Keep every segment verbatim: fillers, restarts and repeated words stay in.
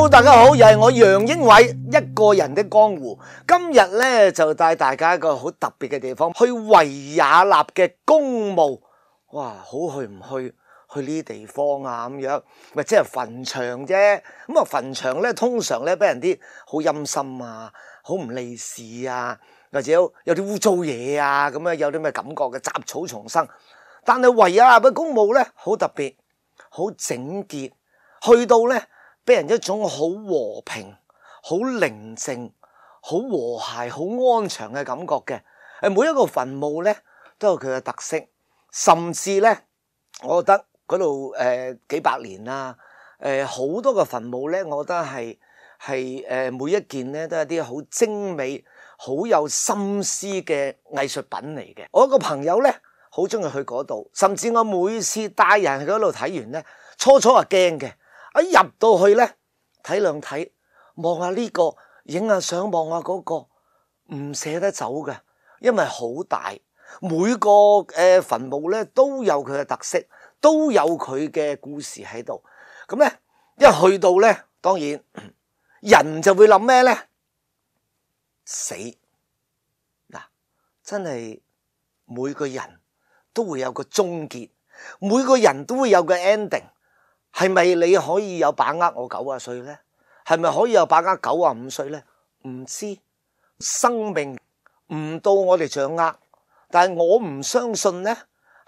Hello， 大家好，又係我楊英偉一個人的江湖。今日咧就帶大家一個好特別嘅地方，去維也納嘅公墓。哇，好去唔去？去呢啲地方啊咁樣，咪即係墳場啫。咁啊，墳場咧通常咧俾人啲好陰森啊，好唔利是啊，或者有有啲污糟嘢啊，咁樣有啲咩感覺嘅雜草叢生。但係維也納嘅公墓咧好特別，好整潔，去到咧俾人一種好和平、好寧靜、好和諧、好安詳嘅感覺嘅。誒，每一個墳墓咧都有佢嘅特色，甚至咧，我覺得嗰度誒幾百年啦，誒好多個墳墓咧，我覺得係係誒每一件咧都係啲好精美、好有心思嘅藝術品嚟嘅。我一個朋友咧好中意去嗰度，甚至我每次帶人去嗰度睇完咧，初初係驚嘅，一入到去咧睇兩睇，望下呢個，影下相，望下嗰個，唔捨得走嘅，因為好大，每個誒墳墓咧都有佢嘅特色。都有佢嘅故事喺度，咁咧一去到咧，當然人就會諗咩咧？死嗱，真係每個人都會有個終結，每個人都會有個 ending。係咪你可以有把握我九啊歲咧？係咪可以有把握九啊五歲咧？唔知，生命唔到我哋掌握，但係我唔相信咧。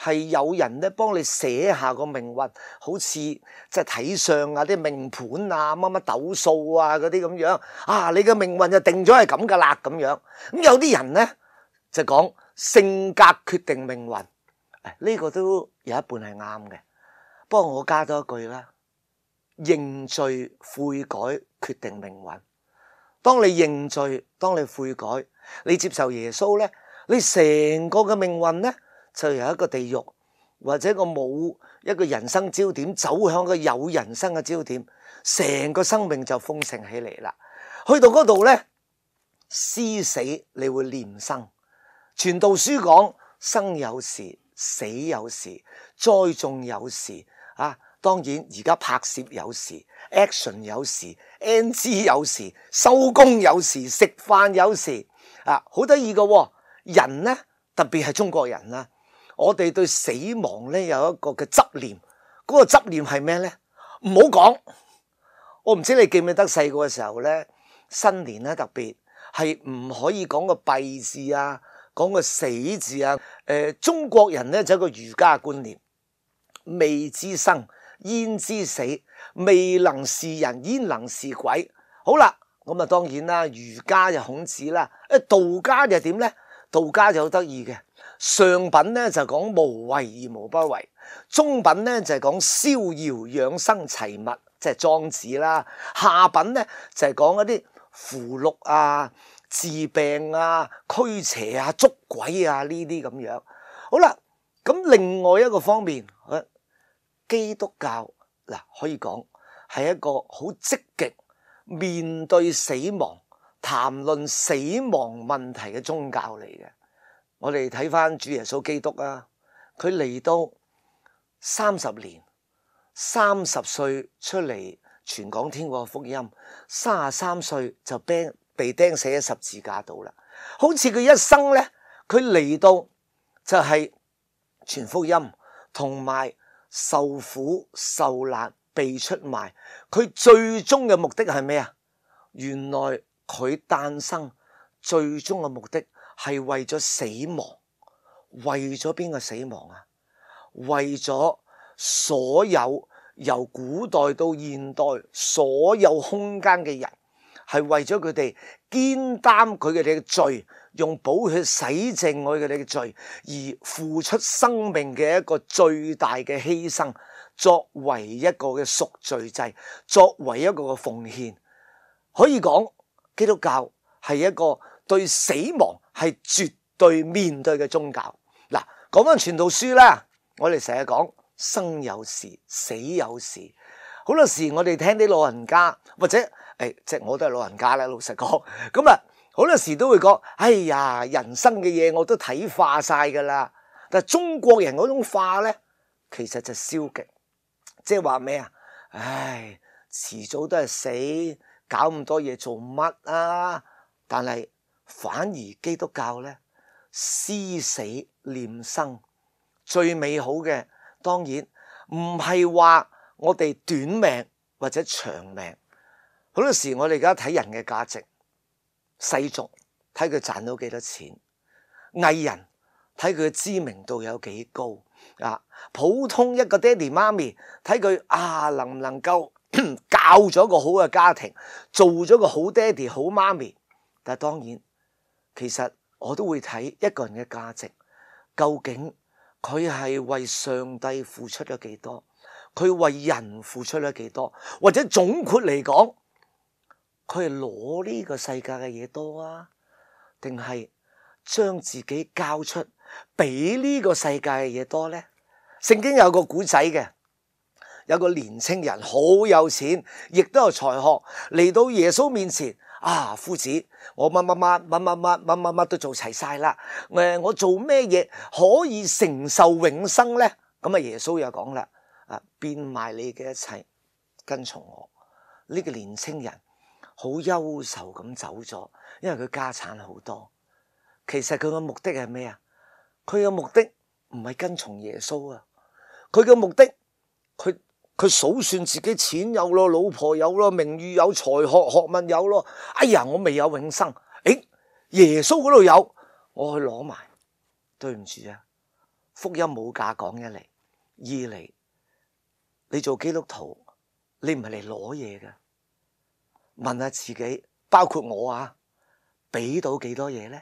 係有人咧幫你寫下個命運，好似即係睇相啊、啲命盤啊、乜乜斗數啊嗰啲咁樣啊，你嘅命運就定咗係咁噶啦咁樣。咁有啲人咧就講性格決定命運，呢個都有一半係啱嘅。不過我加多一句啦，認罪悔改決定命運。當你認罪，當你悔改，你接受耶穌咧，你成個嘅命運咧。就由一個地獄或者個冇一個人生焦點，走向個有人生嘅焦點，成個生命就豐盛起嚟啦。去到嗰度咧，思死你會念生。傳道書講生有時，死有時，栽種有時啊。當然而家拍攝有時 ，action 有時 ，N G 有時，收工有時，食飯有時啊，好得意㗎。人咧，特別係中國人啦。我哋對死亡咧有一個嘅執念，嗰個執念係咩咧？唔好講，我唔知你記唔記得細個嘅時候咧，新年咧特別係唔可以講個閉字啊，講個死字啊。誒，中國人咧就有一個儒家嘅觀念，未知生焉知死，未能是人焉能是鬼。好啦，咁啊當然啦，儒家就孔子啦，誒道家就點咧？道家就好得意嘅。上品咧就講無為而無不為，中品咧就係講逍遙養生齊物，即係莊子啦。下品咧就係講一啲符籙啊、治病啊、驅邪啊、捉鬼啊呢啲咁樣。好啦，咁另外一個方面，基督教嗱可以講係一個好積極面對死亡、談論死亡問題嘅宗教嚟嘅。我哋睇翻主耶穌基督啊，佢嚟到三十年，三十歲出嚟傳講天國福音，三十三歲就被被釘死喺十字架度啦。好似佢一生咧，佢嚟到就係傳福音，同埋受苦受難被出賣。佢最終嘅目的係咩啊？原來佢誕生最終嘅目的。係為咗死亡，為咗邊個死亡啊？為咗所有由古代到現代所有空間嘅人，係為咗佢哋肩擔佢哋嘅罪，用寶血洗淨佢哋嘅罪，而付出生命嘅一個最大嘅犧牲，作為一個嘅贖罪祭，作為一個嘅奉獻。可以講基督教係一個對死亡係絕對面對嘅宗教。嗱，講翻傳道書啦，我哋成日講生有時，死有時。好多時我哋聽啲老人家或者誒，即係我都係老人家啦，老實講。咁啊，好多時都會講，哎呀，人生嘅嘢我都睇化晒噶啦。但係中國人嗰種化咧，其實就消極，即係話咩啊？唉，遲早都係死，搞咁多嘢做乜啊？但係反而基督教呢，思死念生，最美好嘅當然唔係話我哋短命或者長命。好多時我哋而家睇人嘅價值，世俗睇佢賺到幾多錢，藝人睇佢嘅知名度有幾高啊，普通一個爹哋媽咪睇佢啊能唔能夠教咗個好嘅家庭，做咗個好爹哋好媽咪。但係當然其實我都會睇一個人嘅價值，究竟佢係為上帝付出咗幾多，佢為人付出咗幾多，或者總括嚟講，佢係攞呢個世界嘅嘢多啊，定係將自己交出俾呢個世界嘅嘢多呢？聖經有個古仔嘅，有個年青人好有錢，亦都有才學，嚟到耶穌面前啊，夫子，我乜乜乜乜乜乜乜乜乜都做齊晒啦，誒，我做咩嘢可以承受永生呢？咁啊，耶穌又講啦，啊，變賣你嘅一切，跟從我。呢個年青人好憂愁咁走咗，因為佢家產好多。其實佢嘅目的係咩啊？佢嘅目的唔係跟從耶穌啊，佢嘅目的，佢佢數算自己錢有咯，老婆有咯，名譽有，才學學問有咯。哎呀，我未有永生，誒，耶穌嗰度有，我去攞埋。對唔住啊，福音冇價講，一嚟，二嚟，你做基督徒，你唔係嚟攞嘢嘅。問下自己，包括我啊，俾到幾多嘢呢？